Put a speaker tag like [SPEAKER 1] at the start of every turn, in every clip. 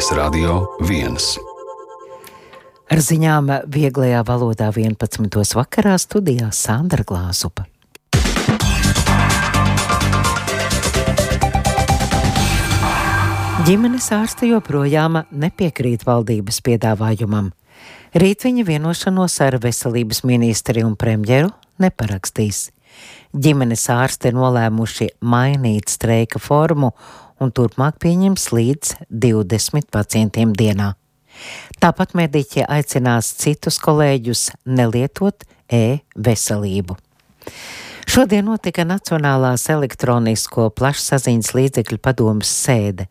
[SPEAKER 1] Latvijas Radio 1.
[SPEAKER 2] Ar ziņām vieglajā valodā 11. vakarā studijā Sandra Glāzupa. Ģimenes ārste joprojām nepiekrīt valdības piedāvājumam. Rīt viņa vienošanos ar veselības ministri un premjeru neparakstīs. Ģimenes ārste nolēmuši mainīt streika formu un turpmāk pieņems līdz 20 pacientiem dienā. Tāpat mediķi aicinās citus kolēģus nelietot e-veselību. Šodien notika Nacionālās elektronisko plašsaziņas līdzekļu padomes sēde.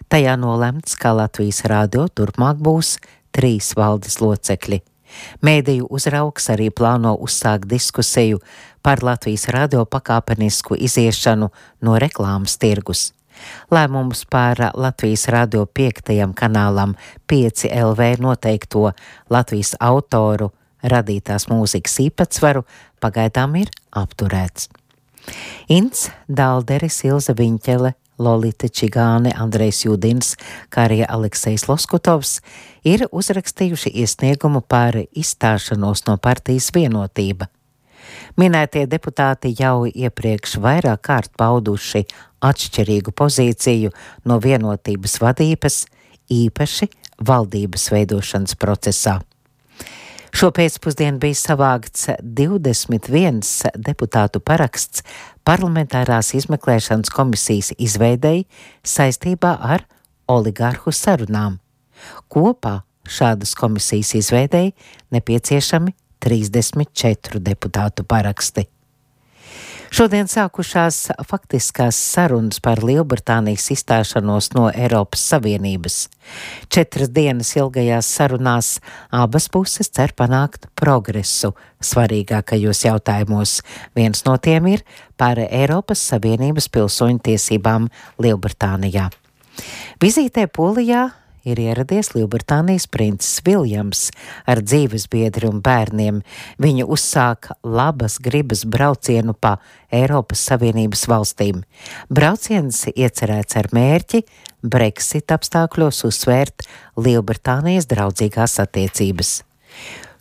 [SPEAKER 2] Tajā nolemts, ka Latvijas radio turpmāk būs 3 valdes locekļi. Mēdīju uzraugs arī plāno uzsākt diskusiju par Latvijas radio pakāpenisku iziešanu no reklāmas tirgus. Lēmums par Latvijas radio 5. kanālam 5LV noteikto Latvijas autoru radītās mūzikas īpatsvaru pagaidām ir apturēts. Ints Dalderis, Ilze Viņķele, Lolita Čigāne, Andrejs Judins, kā arī Aleksejs Loskutovs ir uzrakstījuši iesniegumu par izstāšanos no partijas Vienotība. Minētie deputāti jau iepriekš vairāk kārt pauduši atšķirīgu pozīciju no Vienotības vadības, īpaši valdības veidošanas procesā. Šo pēcpusdienu bija savākts 21 deputātu paraksts parlamentārās izmeklēšanas komisijas izveidei saistībā ar oligarhu sarunām. Kopā šādas komisijas izveidei nepieciešami 34 deputātu paraksti. Šodien sākušās faktiskās sarunas par Lielbritānijas izstāšanos no Eiropas Savienības. 4 dienas ilgajās sarunās abas puses cer panākt progresu svarīgākajos jautājumos. Viens no tiem ir par Eiropas Savienības pilsoņu tiesībām Lielbritānijā. Vizītē Polijā ir ieradies Lielbritānijas princis Viljams ar dzīvesbiedri un bērniem. Viņi uzsāka labas gribas braucienu pa Eiropas Savienības valstīm. Brauciens iecerēts ar mērķi Brexit apstākļos uzsvērt Lielbritānijas draudzīgās attiecības.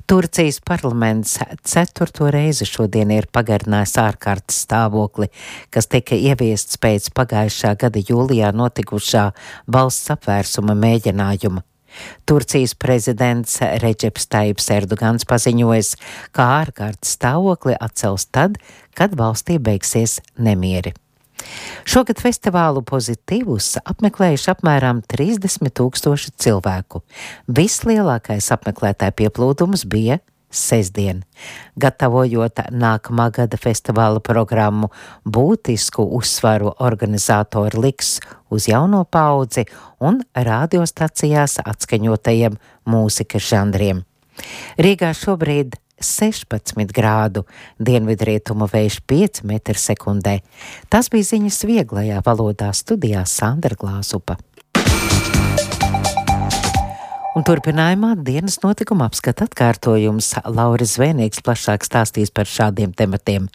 [SPEAKER 2] Turcijas parlaments 4. reizi šodien ir pagarinājis ārkārtas stāvokli, kas tika ieviests pēc pagājušā gada jūlijā notikušā valsts apvērsuma mēģinājuma. Turcijas prezidents Redžeps Tajips Erdogans paziņojas, ka ārkārtas stāvokli atcels tad, kad valstī beigsies nemieri. Šogad festivālu Pozitīvus apmeklējuši apmēram 30 000 cilvēku. Vislielākais apmeklētāju pieplūdums bija sestdien. Gatavojot nākamā gada festivāla programmu, būtisku uzsvaru organizatori liks uz jauno paudzi un radiostacijās atskaņotajiem mūzikas žanriem. Rīgā šobrīd 16 grādu, dienvidrietumu vējš 5 m/sekundē. Tas bija ziņas vieglajā valodā, studijā Sandra Glāzupa. Un turpinājumā dienas notikuma apskata atkārtojums. Lauris Zvēnieks plašāk stāstīs par šādiem tematiem.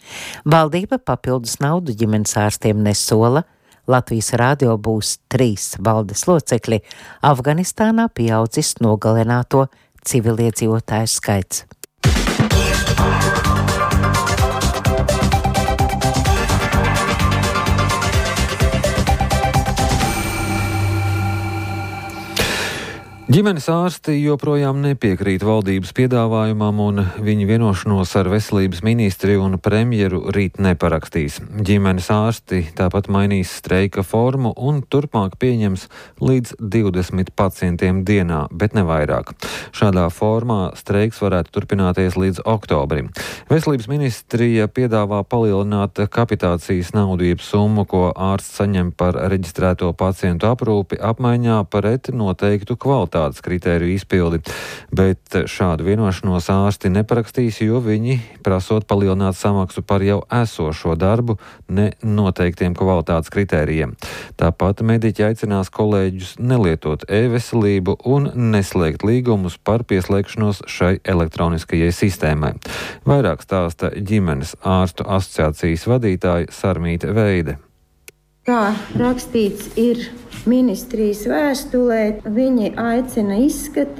[SPEAKER 2] Valdība papildus naudu ģimenes ārstiem nesola. Latvijas radio būs 3 valdes locekļi. Afganistānā pieaudzis nogalināto civiliedzīvotāju skaits.
[SPEAKER 3] Ģimenes ārsti joprojām nepiekrīt valdības piedāvājumam un viņa vienošanos ar veselības ministri un premjeru rīt neparakstīs. Ģimenes ārsti tāpat mainīs streika formu un turpmāk pieņems līdz 20 pacientiem dienā, bet ne vairāk. Šādā formā streiks varētu turpināties līdz oktobrim. Veselības ministrija piedāvā palielināt kapitācijas naudu jeb summu, ko ārsts saņem par reģistrēto pacientu aprūpi apmaiņā pret noteiktu kvalitāti kritēriju izpildi, bet šādu vienošanos ārsti neparakstīs, jo viņi prasot palielināt samaksu par jau esošo darbu ne noteiktiem kvalitātes kritērijiem. Tāpat mediķi aicinās kolēģus nelietot e-veselību un neslēgt līgumus par pieslēgšanos šai elektroniskajai sistēmai. Vairāk stāsta ģimenes ārstu asociācijas vadītāja Sarmīte Veide.
[SPEAKER 1] Kā rakstīts ir ministrijas vēstulē, viņi aicina izskatīt